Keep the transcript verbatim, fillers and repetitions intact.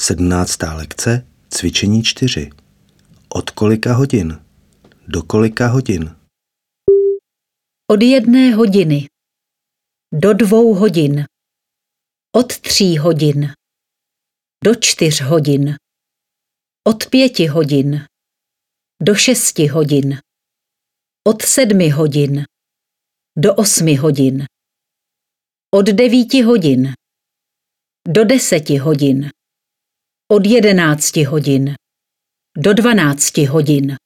Sedmnáctá lekce, cvičení čtyři. Od kolika hodin? Do kolika hodin? Od jedné hodiny. Do dvou hodin. Od tří hodin. Do čtyř hodin. Od pěti hodin. Do šesti hodin. Od sedmi hodin. Do osmi hodin. Od devíti hodin. Do deseti hodin. Od jedenácti hodin. Do dvanácti hodin.